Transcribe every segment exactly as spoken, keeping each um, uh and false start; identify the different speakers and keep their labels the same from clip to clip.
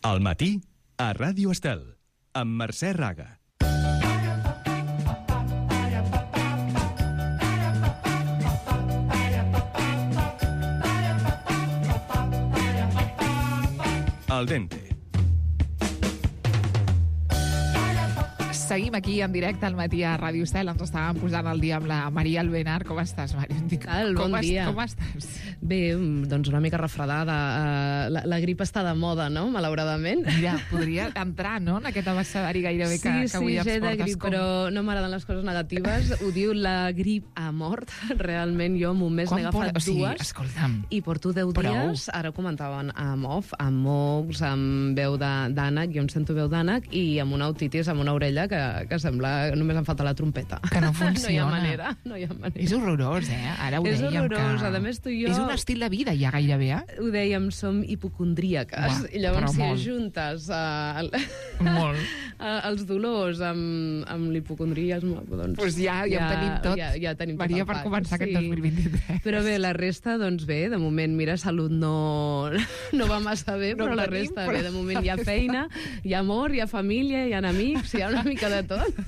Speaker 1: Al matí, a Ràdio Estel, amb Mercè Raga. Al dente.
Speaker 2: Seguim aquí en directe al matí a Ràdio Estel. Ens estàvem posant al dia amb la Maria Albenar. Com estàs, Maria?
Speaker 3: Cal, bon
Speaker 2: com
Speaker 3: dia.
Speaker 2: Com estàs?
Speaker 3: Bé, doncs una mica refredada. Uh, la, la grip està de moda, no?, malauradament.
Speaker 2: Mira, podria entrar, no?, en aquest abecedari gairebé que,
Speaker 3: sí,
Speaker 2: que avui
Speaker 3: sí,
Speaker 2: ens
Speaker 3: sí, de
Speaker 2: portes.
Speaker 3: grip,
Speaker 2: com...
Speaker 3: però no m'agraden les coses negatives. Ho diu la grip a mort. Realment jo en un mes n'he agafat
Speaker 2: por... o sigui,
Speaker 3: dues.
Speaker 2: Escolta'm.
Speaker 3: I porto deu
Speaker 2: Prou.
Speaker 3: dies. Ara ho comentaven amb off, amb mocs, amb veu d'ànec, jo em sento veu d'ànec, i amb una otitis, amb una orella que, que sembla només em falta la trompeta.
Speaker 2: Que no funciona.
Speaker 3: No hi ha manera. No hi ha manera.
Speaker 2: És horrorós, eh? Ara ho
Speaker 3: és
Speaker 2: dèiem
Speaker 3: horrorós.
Speaker 2: que...
Speaker 3: A més, tu i jo...
Speaker 2: És un estil de vida, ja gairebé, eh?
Speaker 3: Ho dèiem, som hipocondríaques.
Speaker 2: Uah,
Speaker 3: I llavors, si
Speaker 2: molt.
Speaker 3: ajuntes uh, el...
Speaker 2: Molt.
Speaker 3: uh, els dolors amb, amb l'hipocondriasme, doncs...
Speaker 2: Pues ja, ja, ja ho tenim tot.
Speaker 3: Ja, ja tenim
Speaker 2: Maria,
Speaker 3: tot
Speaker 2: per començar sí. aquest dos mil vint-i-tres.
Speaker 3: Però bé, la resta, doncs bé, de moment, mira, salut no, no va massa bé,
Speaker 2: no
Speaker 3: però la
Speaker 2: tenim,
Speaker 3: resta,
Speaker 2: però...
Speaker 3: bé, de moment hi ha feina, hi ha amor, hi ha família, hi ha amics, hi ha una mica de tot.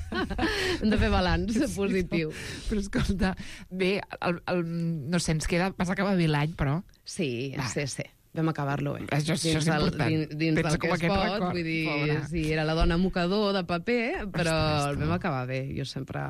Speaker 3: Hem de fer balanç sí, positiu.
Speaker 2: No. Però escolta, bé, el, el, no sé, ens queda... Vas acabar bé l'any, però...
Speaker 3: Sí,
Speaker 2: Va.
Speaker 3: sí, sí. Vam acabar-lo bé.
Speaker 2: Això, això és
Speaker 3: del,
Speaker 2: important.
Speaker 3: Dins, dins
Speaker 2: Pensa
Speaker 3: del que es pot,
Speaker 2: record,
Speaker 3: vull dir,
Speaker 2: pobra.
Speaker 3: sí, era la dona mocador de paper, però
Speaker 2: Ostres,
Speaker 3: el vam acabar bé. Jo sempre,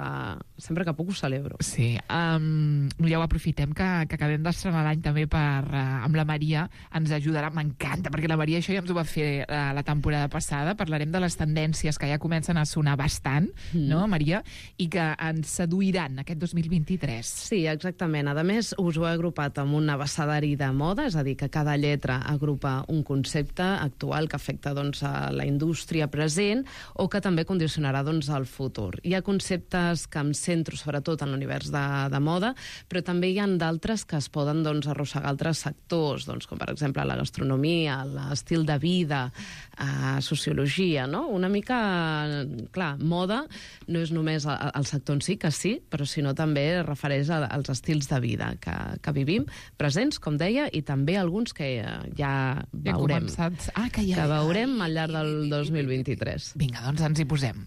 Speaker 3: sempre que puc ho celebro.
Speaker 2: Sí, um, ja ho aprofitem que, que acabem d'estrenar l'any també per, uh, amb la Maria, ens ajudarà, m'encanta, perquè la Maria això ja ens ho va fer uh, la temporada passada, parlarem de les tendències que ja comencen a sonar bastant, mm. no, Maria, i que ens seduiran aquest dos mil vint-i-tres.
Speaker 3: Sí, exactament. A més, us ho he agrupat amb un abecedari de moda, és a dir, que cada lletra agrupa un concepte actual que afecta doncs, a la indústria present o que també condicionarà doncs, el futur. Hi ha conceptes que em centro sobretot en l'univers de, de moda, però també hi ha d'altres que es poden doncs, arrossegar altres sectors, doncs, com per exemple la gastronomia, l'estil de vida, eh, sociologia, no? Una mica, clar, moda no és només el, el sector en si, que sí, però sinó també es refereix a, als estils de vida que, que vivim, presents, com deia, i també alguns que ja
Speaker 2: Ja
Speaker 3: veurem,
Speaker 2: ah, que, ja,
Speaker 3: que veurem al llarg del dos mil vint-i-tres.
Speaker 2: Vinga, doncs ens hi posem.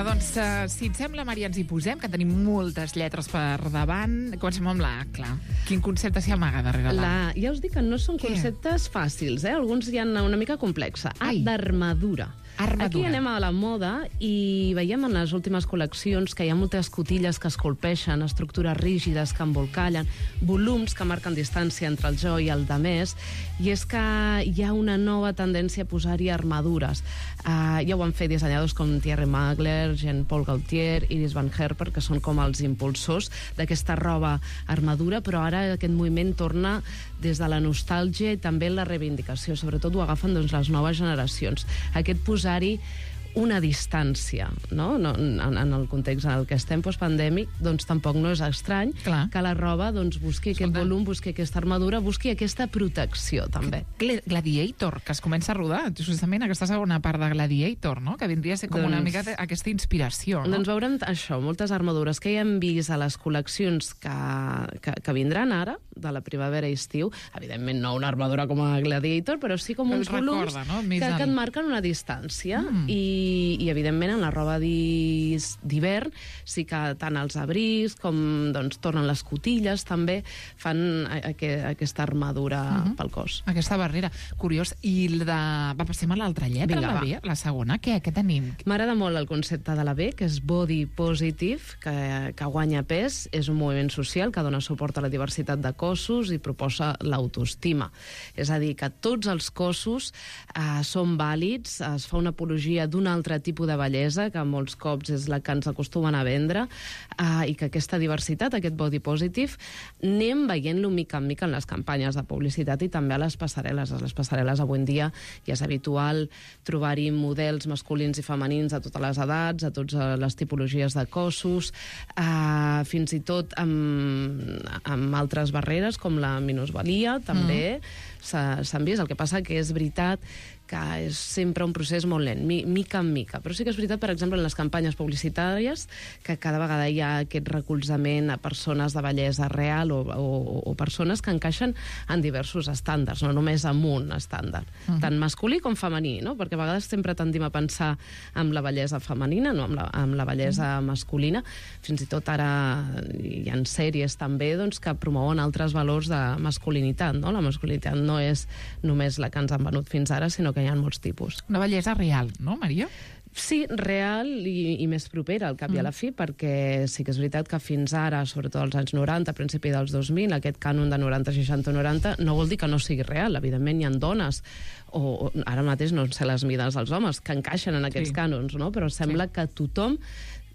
Speaker 2: Doncs, uh, si et sembla, Maria, ens hi posem, que tenim moltes lletres per davant. Comencem amb la A, clar. Quin concepte s'hi amaga darrere la A?
Speaker 3: Ja us dic que no són
Speaker 2: Què?
Speaker 3: conceptes fàcils, eh? Alguns hi ha una mica complexa. A d'armadura.
Speaker 2: Armadura.
Speaker 3: Aquí anem a la moda i veiem en les últimes col·leccions que hi ha moltes cotilles que es colpeixen, estructures rígides que embolcallen, volums que marquen distància entre el jo i el de més, i és que hi ha una nova tendència a posar-hi armadures. Uh, ja ho han fet dissenyadors com Thierry Mugler, Jean-Paul Gaultier, Iris Van Herper, que són com els impulsors d'aquesta roba armadura, però ara aquest moviment torna des de la nostàlgia i també la reivindicació. Sobretot ho agafen doncs, les noves generacions. Aquest posar-hi una distància, no? No, en, en el context en el que estem postpandèmic, doncs tampoc no és estrany
Speaker 2: Clar.
Speaker 3: que la roba doncs, busqui
Speaker 2: Escolta.
Speaker 3: aquest volum, busqui aquesta armadura, busqui aquesta protecció, també.
Speaker 2: Gladiator, que es comença a rodar, justament aquesta segona part de Gladiator, no? Que vindria a ser com
Speaker 3: Doncs-
Speaker 2: una mica de- aquesta inspiració, no?
Speaker 3: Doncs veurem això, moltes armadures que ja hem vist a les col·leccions que, que, que vindran ara, de la primavera i estiu, evidentment no una armadura com a Gladiator, però sí com
Speaker 2: Que
Speaker 3: uns
Speaker 2: us recorda,
Speaker 3: volums
Speaker 2: no? Més
Speaker 3: que,
Speaker 2: el-
Speaker 3: que et marquen una distància
Speaker 2: Mm.
Speaker 3: i, i evidentment en la roba d'his- d'hivern sí que tant els abrics com doncs, tornen les cotilles també fan a, a, a, aquesta armadura
Speaker 2: Mhm.
Speaker 3: pel cos.
Speaker 2: Aquesta barrera. Curiós. I el de... Va, passem a l'altra lletra,
Speaker 3: Vinga,
Speaker 2: la
Speaker 3: va.
Speaker 2: B, la segona. Què, què tenim?
Speaker 3: M'agrada molt el concepte de la B, que és body positive, que, que guanya pes, és un moviment social que dona suport a la diversitat de cossos i proposa l'autoestima. És a dir, que tots els cossos eh, són vàlids, es fa una apologia d'una altre tipus de bellesa, que molts cops és la que ens acostumen a vendre, uh, i que aquesta diversitat, aquest body positive, anem veient-lo mica en mica en les campanyes de publicitat i també a les passarel·les. A les passarel·les avui en dia ja és habitual trobar-hi models masculins i femenins a totes les edats, a totes les tipologies de cossos, uh, fins i tot amb, amb altres barreres com la minusvalia, també mm. s'han vist. El que passa que és veritat que és sempre un procés molt lent, mi, mica en mica. Però sí que és veritat, per exemple, en les campanyes publicitàries, que cada vegada hi ha aquest recolzament a persones de bellesa real o, o, o persones que encaixen en diversos estàndards, no només en un estàndard, uh -huh. tant masculí com femení, no? Perquè a vegades sempre tendim a pensar en la bellesa femenina, no amb la, amb la bellesa uh -huh. masculina. Fins i tot ara hi ha sèries també doncs, que promouen altres valors de masculinitat, no? La masculinitat no és només la que ens han venut fins ara, sinó que hi ha molts tipus.
Speaker 2: Una bellesa real, no, Maria?
Speaker 3: Sí, real i, i més propera al cap mm. i a la fi, perquè sí que és veritat que fins ara, sobretot als anys noranta, a principi dels dos mil, aquest cànon de noranta, seixanta, noranta, no vol dir que no sigui real. Evidentment hi ha dones, o, o ara mateix no sé les mides dels homes, que encaixen en aquests sí. cànons, no? Però sembla sí. que tothom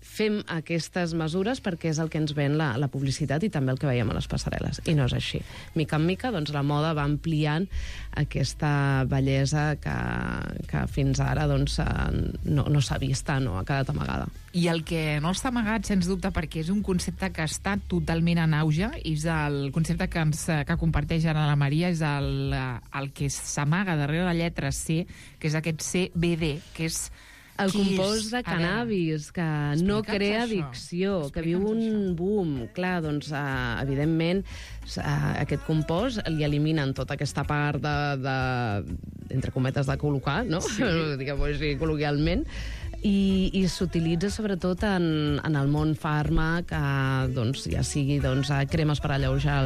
Speaker 3: fem aquestes mesures perquè és el que ens ven la, la publicitat i també el que veiem a les passarel·les. I no és així. Mica en mica, doncs, la moda va ampliant aquesta bellesa que, que fins ara doncs, no, no s'ha vist, no? Ha quedat amagada.
Speaker 2: I el que no està amagat, sens dubte, perquè és un concepte que està totalment en auge, és el concepte que, ens, que comparteix ara la Maria, és el, el que s'amaga darrere la lletra C, que és aquest C B D, que és
Speaker 3: el compost de cannabis, que no crea addicció, que viu un boom. Clar, doncs, uh, evidentment, uh, aquest compost li eliminen tota aquesta part de, de entre cometes, de col·locar, no? Sí. Diguem-ho així, col·loquialment. I, i s'utilitza sobretot en, en el món fàrmac, eh, doncs, ja sigui doncs, cremes per alleujar,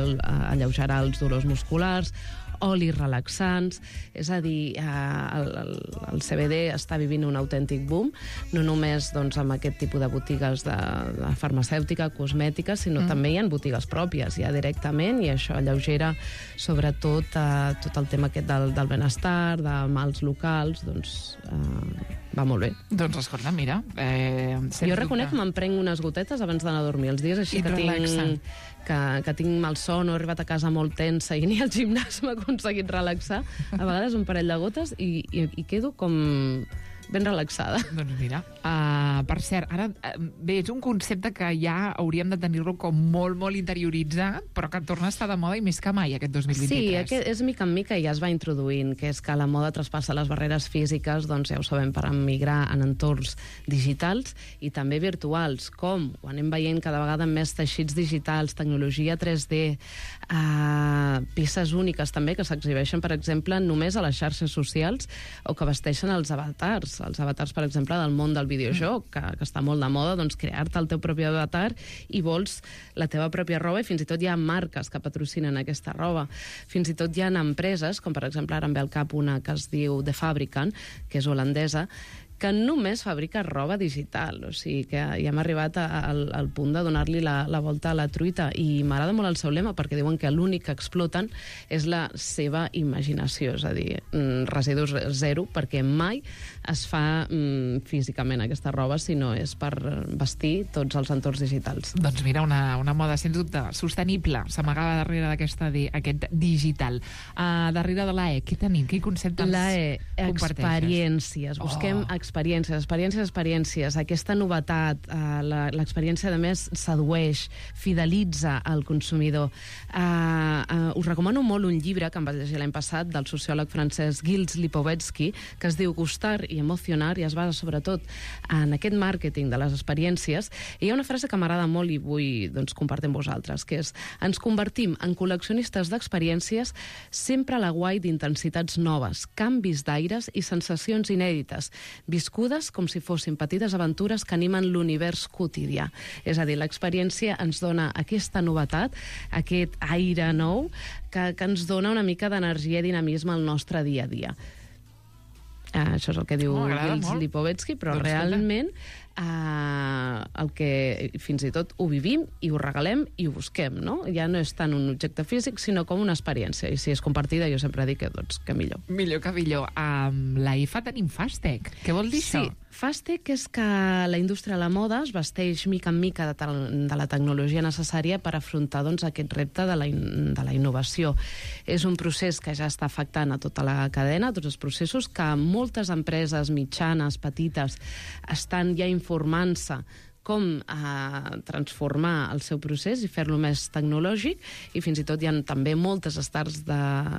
Speaker 3: alleugerar els dolors musculars, olis relaxants, és a dir, eh, el, el, el C B D està vivint un autèntic boom, no només doncs, amb aquest tipus de botigues de, de farmacèutica, cosmètica, sinó mm. també hi ha botigues pròpies, ja directament, i això alleugera sobretot eh, tot el tema aquest del, del benestar, de mals locals, doncs eh, va molt bé.
Speaker 2: Doncs escolta, mira... Eh,
Speaker 3: jo reconec que me'n prenc unes gotetes abans d'anar a dormir els dies, així que tinc, que, que tinc mal son o he arribat a casa molt tensa i ni al gimnàs m'ha aconseguit relaxar. A vegades un parell de gotes i, i, i quedo com ben relaxada.
Speaker 2: Doncs mira, uh, per cert, ara, uh, bé, és un concepte que ja hauríem de tenir-lo com molt, molt interioritzat, però que torna a estar de moda i més que mai aquest dos mil vint-i-tres.
Speaker 3: Sí, aquest és mica en mica i ja es va introduint, que és que la moda traspassa les barreres físiques, doncs ja ho sabem, per emigrar en entorns digitals i també virtuals, com ho anem veient cada vegada més teixits digitals, tecnologia tres D, uh, peces úniques també que s'exhibeixen, per exemple, només a les xarxes socials o que vesteixen els avatars, els avatars, per exemple, del món del videojoc, que, que està molt de moda, doncs crear-te el teu propi avatar i vols la teva pròpia roba, i fins i tot hi ha marques que patrocinen aquesta roba. Fins i tot hi ha empreses, com per exemple ara em ve al cap una que es diu The Fabricant, que és holandesa, que només fabrica roba digital. O sigui que ja hem arribat a, a, al punt de donar-li la, la volta a la truita, i m'agrada molt el seu lema perquè diuen que l'únic que exploten és la seva imaginació, és a dir, residus zero, perquè mai es fa mm, físicament aquesta roba, sinó és per vestir tots els entorns digitals.
Speaker 2: Doncs mira, una, una moda, sens dubte, sostenible, s'amagava darrere d'aquesta aquest digital. Uh, darrere de l'A E, què tenim? Quin concepte ens comparteixes?
Speaker 3: Experiències. Busquem oh. experiències, experiències, experiències. Aquesta novetat, uh, l'experiència, a més, sedueix, fidelitza el consumidor. Uh, uh, us recomano molt un llibre que em vaig llegir l'any passat del sociòleg francès Gilles Lipovetsky, que es diu Gustar i emocionar, i es basa sobretot en aquest màrqueting de les experiències. I hi ha una frase que m'agrada molt i vull doncs, compartir amb vosaltres, que és: ens convertim en col·leccionistes d'experiències sempre a la guai d'intensitats noves, canvis d'aires i sensacions inèdites, viscudes com si fossin petites aventures que animen l'univers quotidià. És a dir, l'experiència ens dona aquesta novetat, aquest aire nou, que, que ens dona una mica d'energia i dinamisme al nostre dia a dia. Uh, això és el que diu oh, Gilles Lipovetsky, però doncs realment Uh, el que fins i tot ho vivim i ho regalem i ho busquem, no? Ja no és tant un objecte físic, sinó com una experiència. I si és compartida, jo sempre dic que, doncs, que millor.
Speaker 2: Millor que millor. Amb la I F A tenim Fastec. Què vol dir
Speaker 3: sí,
Speaker 2: això?
Speaker 3: Fastec és que la indústria de la moda es vesteix mica en mica de, de la tecnologia necessària per afrontar, doncs, aquest repte de la, in, de la innovació. És un procés que ja està afectant a tota la cadena, a tots els processos, que moltes empreses mitjanes, petites, estan ja informant-se com eh, transformar el seu procés i fer-lo més tecnològic, i fins i tot hi ha també moltes starts de,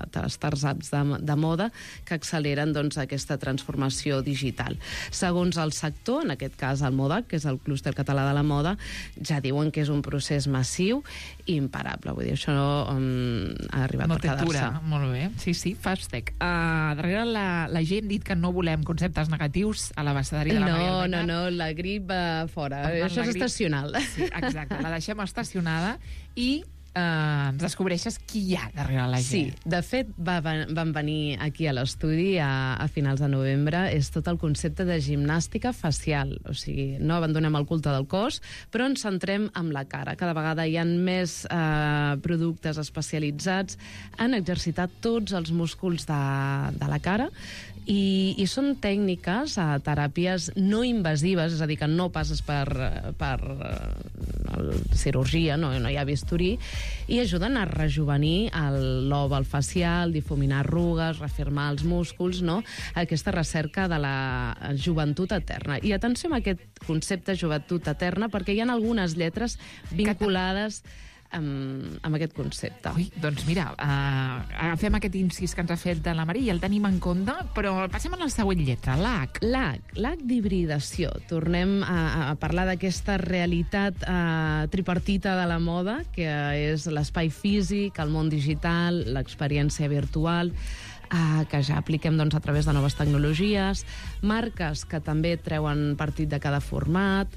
Speaker 3: de startups de, de moda que acceleren, doncs, aquesta transformació digital. Segons el sector, en aquest cas el MODAC, que és el clúster català de la moda, ja diuen que és un procés massiu i imparable. Vull dir, això um, ha arribat
Speaker 2: no
Speaker 3: per quedar-se.
Speaker 2: Molt bé. Sí, sí, Fastec. Uh, darrere la, la gent dit que no volem conceptes negatius a l'abecedari de la
Speaker 3: no,
Speaker 2: Maria Alberta.
Speaker 3: No, no, la grip va fora. Això és grip... estacional.
Speaker 2: Sí, exacte, la deixem estacionada i eh, ens descobreixes qui hi ha darrere la gent.
Speaker 3: Sí, de fet, va, van venir aquí a l'estudi a, a finals de novembre. És tot el concepte de gimnàstica facial. O sigui, no abandonem el culte del cos, però ens centrem en la cara. Cada vegada hi ha més eh, productes especialitzats en exercitar tots els músculs de, de la cara, I, i són tècniques, a teràpies no invasives, és a dir, que no passes per, per uh, cirurgia, no, no hi ha bisturí, i ajuden a rejuvenir el l'òval facial, difuminar arrugues, reafirmar els músculs, no? Aquesta recerca de la joventut eterna. I atenció amb aquest concepte joventut eterna, perquè hi ha algunes lletres vinculades amb, amb aquest concepte.
Speaker 2: Ui, doncs mira, uh, agafem aquest incís que ens ha fet de la Maria i el tenim en compte, però passem a la següent lletra, l'H.
Speaker 3: L'H, l'H d'hibridació. Tornem a, a parlar d'aquesta realitat uh, tripartita de la moda, que és l'espai físic, el món digital, l'experiència virtual, Uh, que ja apliquem, doncs, a través de noves tecnologies, marques que també treuen partit de cada format,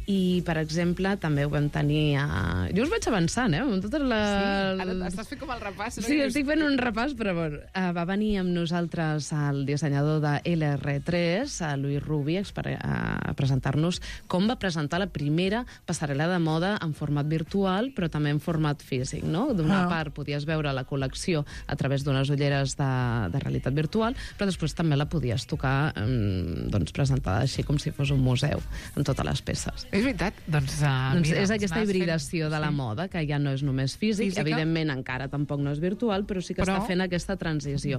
Speaker 3: i, per exemple, també ho vam tenir a... Jo us vaig avançant, eh? Amb totes les...
Speaker 2: Sí, ara estàs fent com el repàs.
Speaker 3: Sí, estic fent un repàs, però bueno. Uh, va venir amb nosaltres el dissenyador de L R tres, a Louis Ruby, a presentar-nos com va presentar la primera passarel·la de moda en format virtual, però també en format físic, no? D'una
Speaker 2: ah.
Speaker 3: part podies veure la col·lecció a través d'unes ulleres de, de realitat virtual, però després també la podies tocar, um, doncs, presentada així com si fos un museu, amb totes les peces.
Speaker 2: És veritat, doncs... Uh,
Speaker 3: doncs
Speaker 2: mira,
Speaker 3: és aquesta hibridació
Speaker 2: fent...
Speaker 3: de la
Speaker 2: sí.
Speaker 3: moda, que ja no és només físic, Física? Evidentment encara tampoc no és virtual, però sí que però... està fent aquesta transició.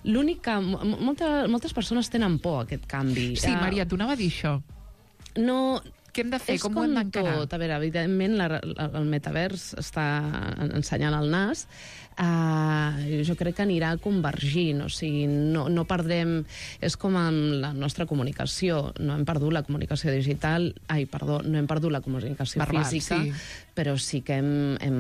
Speaker 3: L'únic que... Molta, moltes persones tenen por a aquest canvi.
Speaker 2: Sí, Maria, t'ho anava a dir això.
Speaker 3: No...
Speaker 2: Què hem de fer?
Speaker 3: És
Speaker 2: com,
Speaker 3: com
Speaker 2: ho hem d'encarar?
Speaker 3: tot. A veure, evidentment, la, la, el metavers està ensenyant el nas. Uh, jo crec que anirà convergint, o sigui, no, no perdrem... És com amb la nostra comunicació. No hem perdut la comunicació digital... Ai, perdó, no hem perdut la comunicació
Speaker 2: Verbal,
Speaker 3: física,
Speaker 2: sí.
Speaker 3: però sí que hem, hem,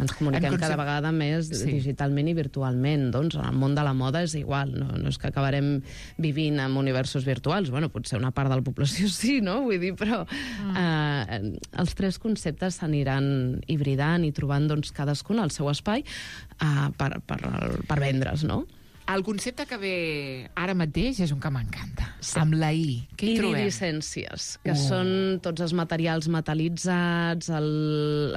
Speaker 3: ens comuniquem hem cada vegada més sí. digitalment i virtualment. Doncs en el món de la moda és igual. No, no és que acabarem vivint en universos virtuals. Bueno, potser una part de la població sí, no? Vull dir, però mm. uh, els tres conceptes s'aniran hibridant i trobant, doncs, cadascun el seu espai uh, per, per, per vendre's, no?
Speaker 2: El concepte que ve ara mateix és un que m'encanta. Sí. Amb la I. Què hi trobem?
Speaker 3: Iridescències, que uh. són tots els materials metal·litzats, el,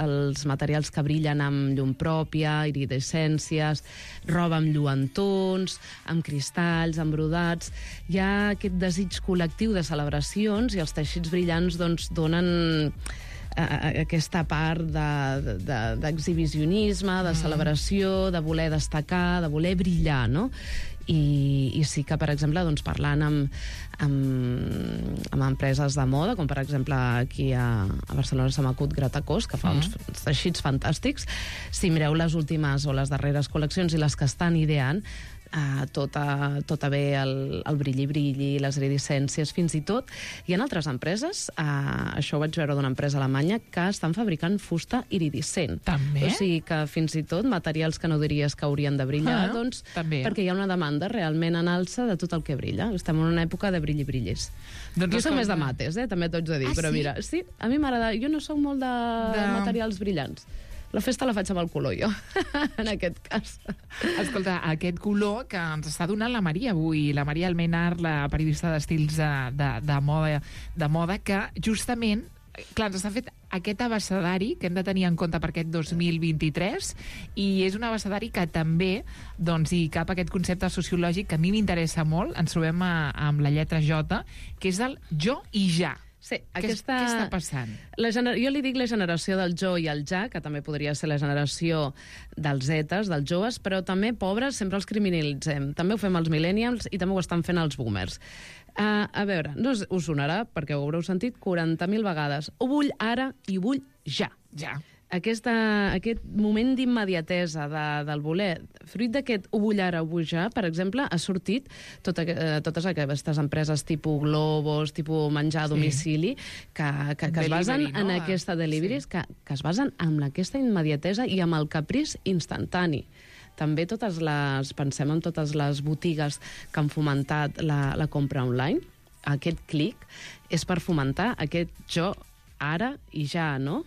Speaker 3: els materials que brillen amb llum pròpia, iridescències, roba amb lluentons, amb cristalls, amb brodats. Hi ha aquest desig col·lectiu de celebracions i els teixits brillants, doncs, donen aquesta part d'exhibicionisme, de, de, de celebració, de voler destacar, de voler brillar, no? I, i sí que, per exemple, doncs, parlant amb, amb, amb empreses de moda, com per exemple aquí a, a Barcelona s'ha m'acut Gratacós, que fa mm. uns, uns teixits fantàstics. Si mireu les últimes o les darreres col·leccions i les que estan ideant, Uh, tot, a, tot a bé el, el brilli-brilli, les iridescències, fins i tot. Hi ha altres empreses, uh, això ho vaig veure d'una empresa alemanya, que estan fabricant fusta iridescent.
Speaker 2: També?
Speaker 3: O sigui que fins i tot materials que no diries que haurien de brillar, ah, doncs,
Speaker 2: també.
Speaker 3: Perquè hi ha una demanda realment en alça de tot el que brilla. Estem en una època de brilli-brillis.
Speaker 2: Doncs
Speaker 3: jo soc més de mates, eh? També t'ho haig de dir,
Speaker 2: ah,
Speaker 3: però
Speaker 2: sí?
Speaker 3: mira, sí, a mi m'agrada, jo no soc molt de, de... materials brillants. La festa la faig amb el color, jo, en aquest cas.
Speaker 2: Escolta, aquest color que ens està donant la Maria avui, la Maria Almenar, la periodista d'estils de, de, de, moda, de moda, que justament, clar, ens està fet aquest abecedari que hem de tenir en compte per aquest dos mil vint-i-tres, i és un abecedari que també doncs, hi cap aquest concepte sociològic que a mi m'interessa molt. Ens trobem a, amb la lletra J, que és el jo i ja.
Speaker 3: Sí,
Speaker 2: Què,
Speaker 3: aquesta...
Speaker 2: què està passant?
Speaker 3: La gener... Jo li dic la generació del jo i el ja, que també podria ser la generació dels zetes, dels joves, però també, pobres, sempre els criminalitzem. També ho fem els millennials i també ho estan fent els boomers. Uh, a veure, no us sonarà, perquè ho haureu sentit quaranta mil vegades. Ho vull ara i ho vull ja.
Speaker 2: Ja.
Speaker 3: Aquesta, aquest moment d'immediatesa de, del voler, fruit d'aquest ho vull ara, ho vull ja, per exemple, ha sortit tot, eh, totes aquestes empreses tipus Globos, tipus menjar a domicili, sí. que, que, que es basen no? en aquesta delivery, sí. que, que es basen en aquesta immediatesa i amb el capriç instantani. També totes les, pensem en totes les botigues que han fomentat la, la compra online. Aquest clic és per fomentar aquest jo ara i ja, no?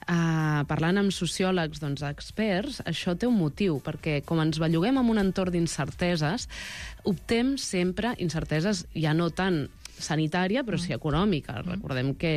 Speaker 3: Uh, parlant amb sociòlegs, doncs, experts, això té un motiu, perquè com ens belluguem en un entorn d'incerteses, optem sempre, incerteses ja no tan sanitària, però sí econòmica. Recordem que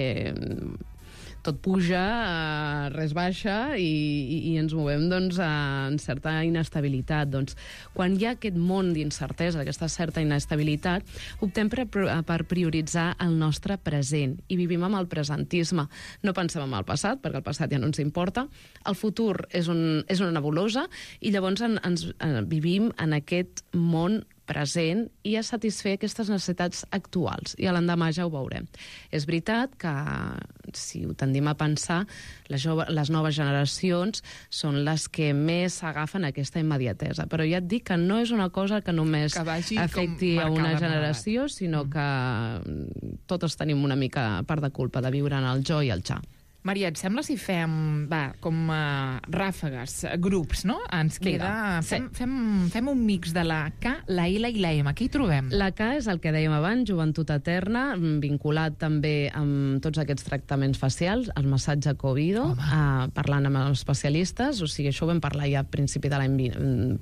Speaker 3: tot puja, uh, res baixa, i, i, i ens movem doncs, uh, en certa inestabilitat. Doncs, quan hi ha aquest món d'incertesa, aquesta certa inestabilitat, optem per, per prioritzar el nostre present i vivim amb el presentisme. No pensem en el passat, perquè el passat ja no ens importa. El futur és, un, és una nebulosa i llavors en, ens uh, vivim en aquest món present i a satisfer aquestes necessitats actuals. I a l'endemà ja ho veurem. És veritat que, si ho tendim a pensar, les, jove, les noves generacions són les que més s'agafen aquesta immediatesa. Però ja et dic que no és una cosa que només
Speaker 2: que
Speaker 3: afecti a una generació, sinó que totes tenim una mica part de culpa de viure en el jo i el ja.
Speaker 2: Maria, et sembla si fem, va, com uh, ràfegues, grups, no? Ens queda...
Speaker 3: Vinga,
Speaker 2: fem,
Speaker 3: sí.
Speaker 2: fem, fem un mix de la K, la L i la M. Què hi trobem?
Speaker 3: La K és el que dèiem abans, joventut eterna, vinculat també amb tots aquests tractaments facials, el massatge Covido, uh, parlant amb els especialistes, o sigui, això ho vam parlar ja a principi de l'any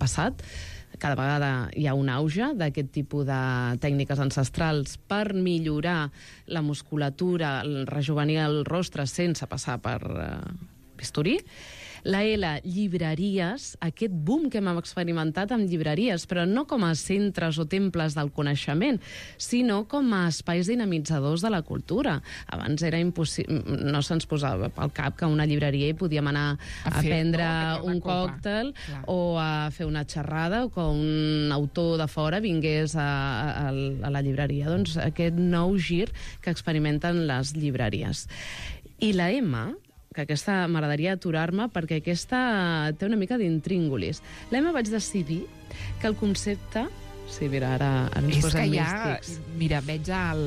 Speaker 3: passat. Cada vegada hi ha un auge d'aquest tipus de tècniques ancestrals per millorar la musculatura, rejuvenir el rostre sense passar per uh, bisturí. La L, llibreries, aquest boom que hem experimentat amb llibreries, però no com a centres o temples del coneixement, sinó com a espais dinamitzadors de la cultura. Abans era impossible, no se'ns posava pel cap que a una llibreria hi podíem anar a, a fer, prendre no? un còctel o a fer una xerrada, o que un autor de fora vingués a, a, a la llibreria. Doncs aquest nou gir que experimenten les llibreries. I la M, que aquesta m'agradaria aturar-me perquè aquesta té una mica d'intríngulis. L'Emma vaig decidir que el concepte... Sí, mira, ara, ara ens
Speaker 2: és
Speaker 3: posem
Speaker 2: que ja,
Speaker 3: místics.
Speaker 2: mira, veig el,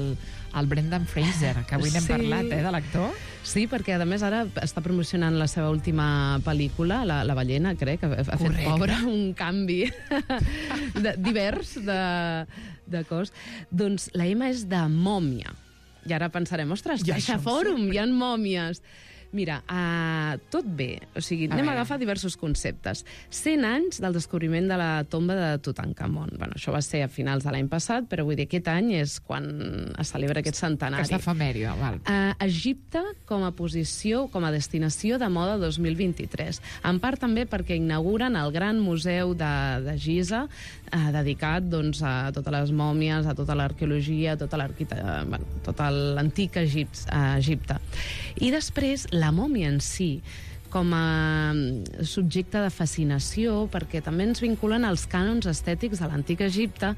Speaker 2: el Brendan Fraser, que avui n'hem
Speaker 3: Sí.
Speaker 2: parlat, eh, de l'actor.
Speaker 3: Sí, perquè a més ara està promocionant la seva última pel·lícula, La, la ballena, crec, que ha fet
Speaker 2: Correcte.
Speaker 3: pobre un canvi de, divers de, de cos. Doncs la M és de mòmia. I ara pensarem, ostres,
Speaker 2: Ja
Speaker 3: Caixa
Speaker 2: això em
Speaker 3: Fòrum, hi ha mòmies. Mira, uh, tot bé. O sigui,
Speaker 2: A
Speaker 3: anem a
Speaker 2: veure.
Speaker 3: agafar diversos conceptes. cent anys del descobriment de la tomba de Tutankamon. Bueno, això va ser a finals de l'any passat, però vull dir, aquest any és quan es celebra aquest centenari.
Speaker 2: Aquesta efemèria, val.
Speaker 3: Uh, Egipte com a posició, com a destinació de moda dos mil vint-i-tres. En part també perquè inauguren el gran museu de, de Giza, uh, dedicat doncs, a totes les mòmies, a tota l'arqueologia, a tota l'arquitectura, bueno, tot l'antic Egipte, uh, Egipte. I després, la mòmia en si, com a subjecte de fascinació, perquè també ens vinculen als cànons estètics de l'antic Egipte,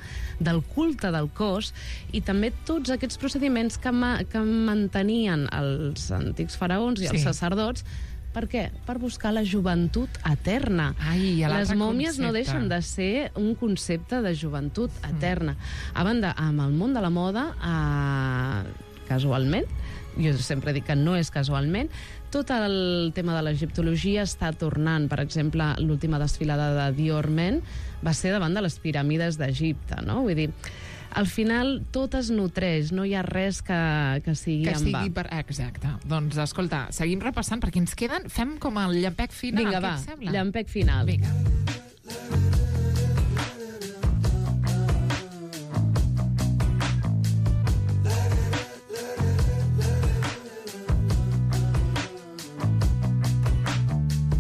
Speaker 3: del culte del cos, i també tots aquests procediments que, ma que mantenien els antics faraons i els
Speaker 2: Sí.
Speaker 3: sacerdots. Per què? Per buscar la joventut eterna.
Speaker 2: Ai, i
Speaker 3: Les
Speaker 2: l'altre
Speaker 3: mòmies no
Speaker 2: concepte.
Speaker 3: deixen de ser un concepte de joventut eterna. A banda, amb el món de la moda, eh, casualment, jo sempre dic que no és casualment, tot el tema de l'egiptologia està tornant. Per exemple, l'última desfilada de Dior Men va ser davant de les piràmides d'Egipte, no? Vull dir, Al final, tot es nutreix, no hi ha res que, que sigui
Speaker 2: que
Speaker 3: en va.
Speaker 2: sigui per... Exacte. Doncs, escolta, seguim repassant, perquè ens queden... Fem com el llampec final,
Speaker 3: Vinga,
Speaker 2: què
Speaker 3: va,
Speaker 2: et sembla?
Speaker 3: llampec final.
Speaker 2: Vinga.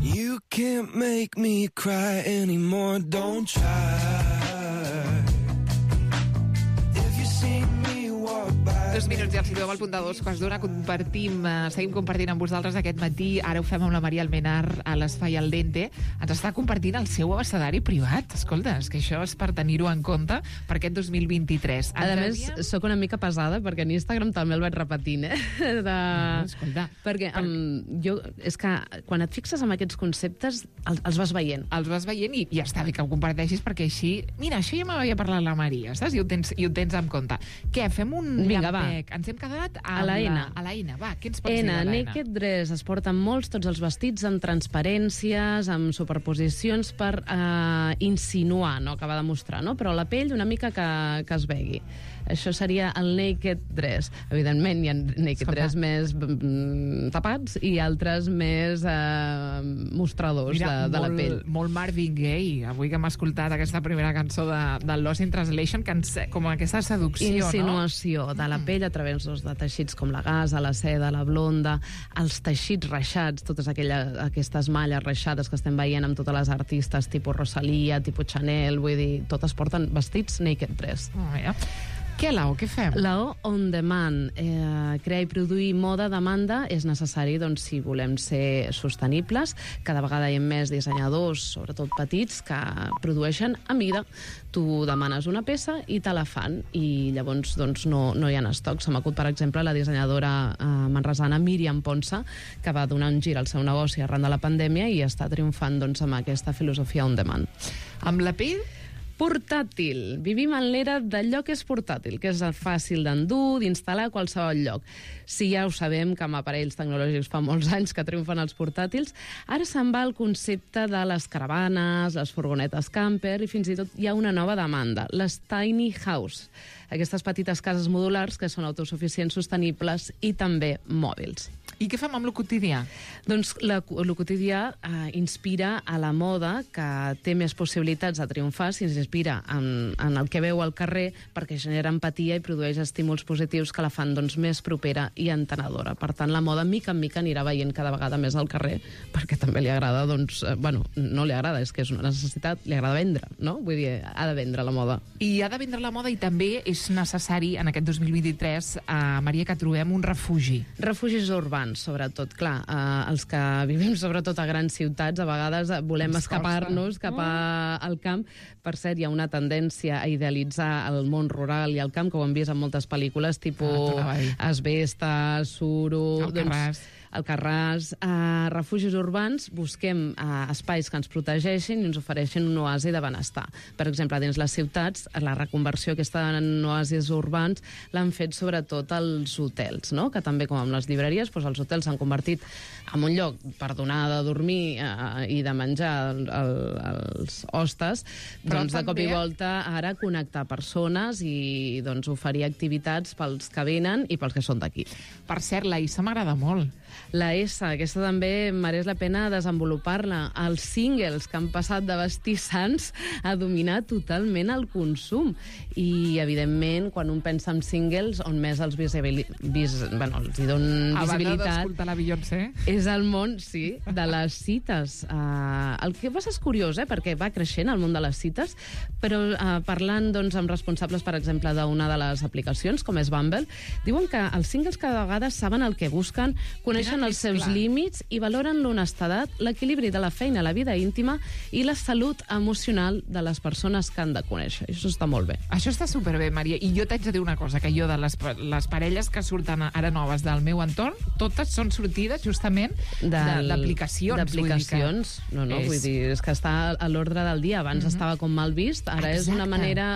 Speaker 4: You can't make me cry anymore, don't try. If you see me walk by.
Speaker 2: Dos minuts i els situem al punt de dos, quarts d'una, compartim, eh, seguim compartint amb vosaltres aquest matí, ara ho fem amb la Maria Almenar a l'Espai Al Dente, ens està compartint el seu abecedari privat. Escolta, és que això és per tenir-ho en compte per aquest dos mil vint-i-tres.
Speaker 3: A
Speaker 2: Ens
Speaker 3: més,
Speaker 2: havíem-
Speaker 3: sóc una mica pesada, perquè en Instagram també el vaig repetint, eh? De...
Speaker 2: No, escolta,
Speaker 3: perquè
Speaker 2: per-
Speaker 3: um, jo, és que quan et fixes en aquests conceptes, els, els vas veient.
Speaker 2: els vas veient i ja està bé que ho comparteixis, perquè així... Mira, això ja m'havia parlat la Maria, saps? I ho tens, i ho tens en compte. Què, fem un
Speaker 3: Vinga, va.
Speaker 2: llampec? Ens hem quedat
Speaker 3: A
Speaker 2: amb
Speaker 3: la N.
Speaker 2: A la N, va, què ens pots
Speaker 3: N,
Speaker 2: dir de la N?
Speaker 3: Naked Dress, es porten molts, tots els vestits, amb transparències, amb superposicions per eh, insinuar, no acabar de mostrar, no? Però la pell una mica que, que es vegui. Això seria el Naked Dress. Evidentment, hi ha Naked
Speaker 2: Escolta.
Speaker 3: Dress més mm, tapats i altres més eh, mostradors
Speaker 2: Mira,
Speaker 3: de, de la
Speaker 2: molt,
Speaker 3: pell.
Speaker 2: molt Marvin Gaye, avui que hem escoltat aquesta primera cançó de, de Lost in Translation, que ens, com aquesta seducció,
Speaker 3: Insinuació de la pell a través doncs, de teixits com la gasa, la seda, la blonda, els teixits reixats, totes aquelles, aquestes malles reixades que estem veient amb totes les artistes, tipus Rosalia, tipus Chanel, vull dir, totes porten vestits Naked Dress.
Speaker 2: no? Oh, ja. Què, Lau, què fem?
Speaker 3: La O on demand, eh, crear i produir moda a demanda és necessari doncs, si volem ser sostenibles. Cada vegada hi ha més dissenyadors, sobretot petits, que produeixen a mida. Tu demanes una peça i te la fan, i llavors doncs, no, no hi ha estoc. Se m'acut, per exemple, la dissenyadora eh, manresana Míriam Ponsa, que va donar un gir al seu negoci arran de la pandèmia i està triomfant doncs, amb aquesta filosofia on demand.
Speaker 2: Amb la pell?
Speaker 3: Portàtil. Vivim en l'era d'allò que és portàtil, que és fàcil d'endur, d'instal·lar a qualsevol lloc. Si ja ho sabem, que amb aparells tecnològics fa molts anys que triomfen els portàtils, ara se'n va el concepte de les caravanes, les furgonetes camper, i fins i tot hi ha una nova demanda, les tiny house, aquestes petites cases modulars que són autosuficients, sostenibles i també mòbils.
Speaker 2: I què fem amb lo quotidià?
Speaker 3: Doncs la, el quotidià eh, inspira a la moda, que té més possibilitats de triomfar si s'inspira en, en el que veu al carrer, perquè genera empatia i produeix estímuls positius que la fan doncs, més propera i entenedora. Per tant, la moda, mica en mica, anirà veient cada vegada més al carrer, perquè també li agrada, doncs, eh, bueno, no li agrada, és que és una necessitat, li agrada vendre, no? Vull dir, ha de vendre la moda.
Speaker 2: I ha de vendre la moda, i també és necessari, en aquest dos mil vint-i-tres, eh, Maria, que trobem un refugi.
Speaker 3: Refugis urbans, sobretot, clar, eh, els que vivim sobretot a grans ciutats, a vegades volem
Speaker 2: Ens
Speaker 3: escapar-nos
Speaker 2: costa.
Speaker 3: cap a, al camp. Per cert, hi ha una tendència a idealitzar el món rural i el camp, que ho hem vist en moltes pel·lícules, tipus
Speaker 2: Ah, t'anava a dir.
Speaker 3: Asbesta, Suro...
Speaker 2: Alcarràs.
Speaker 3: Alcarràs, eh, refugis urbans, busquem eh, espais que ens protegeixin i ens ofereixin un oasi de benestar. Per exemple, dins les ciutats, la reconversió aquesta en oasis urbans l'han fet sobretot els hotels, no? Que també, com amb les llibreries, doncs els hotels s'han convertit en un lloc per donar de dormir eh, i de menjar el, el, els hostes,
Speaker 2: Però
Speaker 3: doncs de cop i
Speaker 2: també-
Speaker 3: volta ara connectar persones i doncs, oferir activitats pels que venen i pels que són d'aquí.
Speaker 2: Per cert, la Issa m'agrada molt.
Speaker 3: La S, aquesta també mereix la pena desenvolupar-la. Els singles, que han passat de vestir sants a dominar totalment el consum. I, evidentment, quan un pensa en singles, on més els, visibili... vis... bueno, els hi donen
Speaker 2: A banda
Speaker 3: visibilitat
Speaker 2: d'escoltar la Beyoncé.
Speaker 3: és el món, sí, de les cites. Uh, el que passa és curiós, eh, perquè va creixent el món de les cites, però uh, parlant doncs, amb responsables, per exemple, d'una de les aplicacions, com és Bumble, diuen que els singles cada vegada saben el que busquen, coneixen
Speaker 2: Tenen
Speaker 3: els
Speaker 2: més
Speaker 3: seus
Speaker 2: clar.
Speaker 3: límits i valoren l'honestedat, l'equilibri de la feina, la vida íntima i la salut emocional de les persones que han de conèixer. Això està molt bé.
Speaker 2: Això està superbé, Maria. I jo t'haig de dir una cosa, que jo de les, pa- les parelles que surten ara noves del meu entorn, totes són sortides justament de-
Speaker 3: Del-
Speaker 2: d'aplicacions.
Speaker 3: D'aplicacions. No, no,
Speaker 2: és-
Speaker 3: vull dir, és que està a l'ordre del dia. Abans estava com mal vist, ara és una
Speaker 2: Exacte.
Speaker 3: manera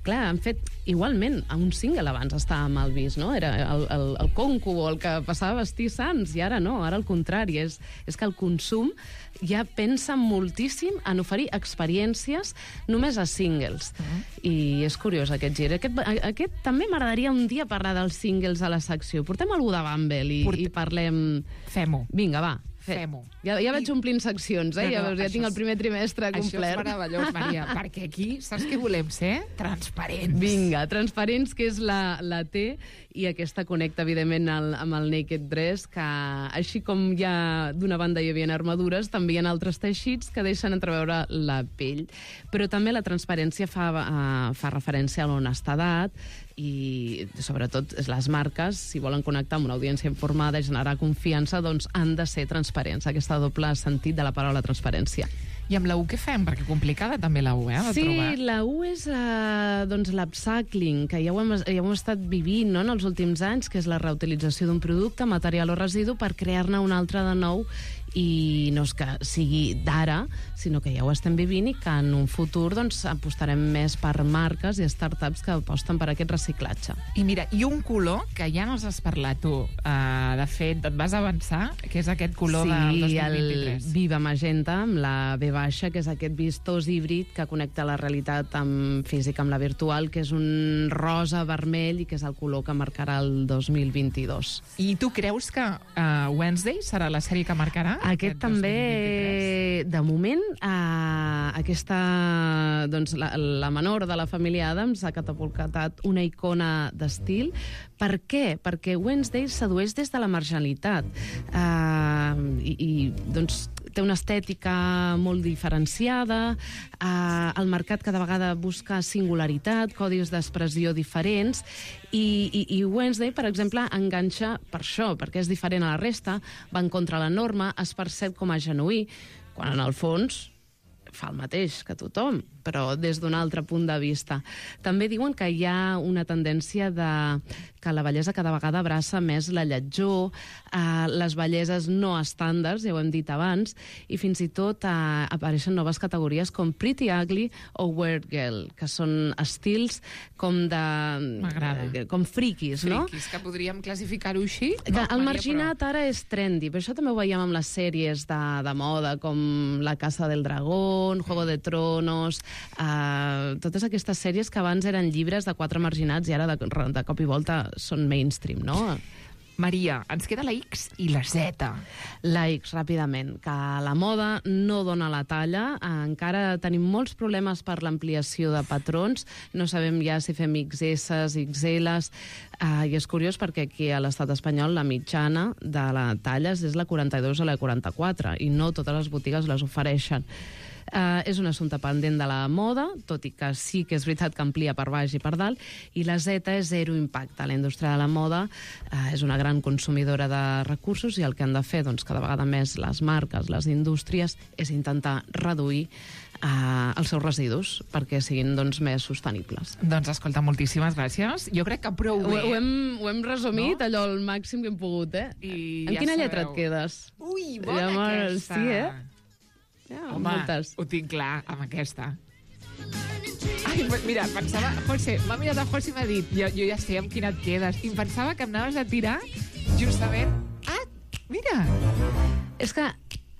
Speaker 3: clar, han fet igualment, un single abans estava mal vist, no? Era el, el, el conco o el que passava a vestir sants, i ara no, ara al contrari, és, és que el consum ja pensa moltíssim en oferir experiències només a singles. Uh -huh. I és curiós aquest gir. Aquest, aquest també m'agradaria un dia parlar dels singles a la secció. Portem algú de Bumble i, Port... i parlem...
Speaker 2: Fem-ho.
Speaker 3: Vinga, va.
Speaker 2: Fem-ho.
Speaker 3: Ja, ja vaig omplint seccions, eh? No, no, ja ja tinc el primer trimestre complert.
Speaker 2: Això és meravellós, Maria, perquè aquí saps què volem ser? Transparents.
Speaker 3: Vinga, transparents, que és la, la T, i aquesta connecta, evidentment, el, amb el Naked Dress, que així com ja d'una banda hi havia armadures, també hi ha altres teixits que deixen entreveure la pell. Però també la transparència fa, uh, fa referència a l'honestedat, i sobretot les marques, si volen connectar amb una audiència informada i generar confiança, doncs han de ser transparents, aquesta doble sentit de la paraula transparència.
Speaker 2: I amb la U què fem? Perquè complicada també la U, eh, de
Speaker 3: sí,
Speaker 2: trobar.
Speaker 3: la U és uh, doncs l'upcycling, que ja ho, hem, ja ho hem estat vivint, no?, en els últims anys, que és la reutilització d'un producte, material o residu, per crear-ne un altre de nou, i no és que sigui d'ara, sinó que ja ho estem vivint i que en un futur doncs, apostarem més per marques i startups que aposten per aquest reciclatge.
Speaker 2: I mira, i un color que ja no has parlat tu, uh, de fet, et vas avançar, que és aquest color
Speaker 3: sí,
Speaker 2: del dos mil
Speaker 3: Sí,
Speaker 2: vint-i-tres.
Speaker 3: el Viva Magenta, amb la B baixa, que és aquest vistós híbrid que connecta la realitat amb física amb la virtual, que és un rosa vermell i que és el color que marcarà el dos mil vint-i-dos.
Speaker 2: I tu creus que uh, Wednesday serà la sèrie que marcarà?
Speaker 3: Aquest també, de moment, eh, aquesta, doncs, la, la menor de la família Adams ha catapultat una icona d'estil. Per què? Perquè Wednesday sedueix des de la marginalitat. Eh, i, i, doncs, té una estètica molt diferenciada, eh, el mercat cada vegada busca singularitat, codis d'expressió diferents, i, i, i Wednesday, per exemple, enganxa per això, perquè és diferent a la resta, va en contra la norma, es percep com a genuí, quan en el fons fa el mateix que tothom, però des d'un altre punt de vista. També diuen que hi ha una tendència de que la bellesa cada vegada abraça més la lletjor, eh, les belleses no estàndards, ja ho hem dit abans, i fins i tot eh, apareixen noves categories com Pretty Ugly o Weird Girl, que són estils com de...
Speaker 2: M'agrada.
Speaker 3: Eh, com friquis, no?
Speaker 2: Friquis, que podríem classificar-ho així.
Speaker 3: Que
Speaker 2: No,
Speaker 3: el
Speaker 2: Maria,
Speaker 3: marginat
Speaker 2: però...
Speaker 3: ara és trendy, però això també ho veiem amb les sèries de, de moda, com La Casa del Dragón, Juego de Tronos, uh, totes aquestes sèries que abans eren llibres de quatre marginats i ara de, de cop i volta són mainstream, no?
Speaker 2: Maria, ens queda la X i la Z.
Speaker 3: La X, ràpidament, que la moda no dona la talla, encara tenim molts problemes per l'ampliació de patrons, no sabem ja si fem X S, X L, uh, i és curiós perquè aquí a l'estat espanyol la mitjana de la talla és la quaranta-dos o la quaranta-quatre, i no totes les botigues les ofereixen. Uh, és un assumpte pendent de la moda, tot i que sí que és veritat que amplia per baix i per dalt, i la Z és zero impacte. La indústria de la moda uh, és una gran consumidora de recursos, i el que han de fer doncs, cada vegada més les marques, les indústries, és intentar reduir uh, els seus residus perquè siguin doncs, més sostenibles.
Speaker 2: Doncs escolta, moltíssimes gràcies. Jo crec que prou bé.
Speaker 3: Ho, ho, hem, ho hem resumit,
Speaker 2: no?
Speaker 3: allò al màxim que hem pogut, eh?
Speaker 2: I
Speaker 3: en
Speaker 2: ja
Speaker 3: quina
Speaker 2: sabeu.
Speaker 3: lletra et quedes?
Speaker 2: Ui, bona
Speaker 3: Llavors,
Speaker 2: aquesta.
Speaker 3: sí, eh? Ja,
Speaker 2: Home,
Speaker 3: moltes.
Speaker 2: ho tinc clar, amb aquesta. Ai, mira, pensava... José, m'ha mirat a José i m'ha dit, jo, jo ja sé amb quina et quedes, i em pensava que em anaves a tirar justament... Ah, mira!
Speaker 3: És que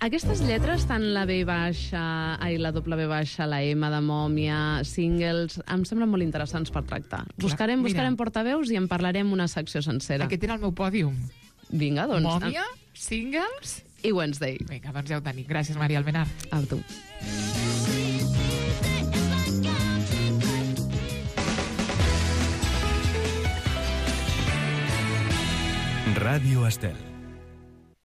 Speaker 3: aquestes lletres, tant la B baixa, ai, la doble B baixa, la M de mòmia, singles, em semblen molt interessants per tractar. Buscarem,
Speaker 2: mira.
Speaker 3: buscarem portaveus i en parlarem una secció sencera.
Speaker 2: Aquest era el meu pòdium.
Speaker 3: Vinga, doncs.
Speaker 2: Mòmia, singles...
Speaker 3: I Wednesday.
Speaker 2: Vinga, doncs ja ho tenim. Gràcies, Maria Almenar.
Speaker 3: A tu.
Speaker 1: Ràdio Estel.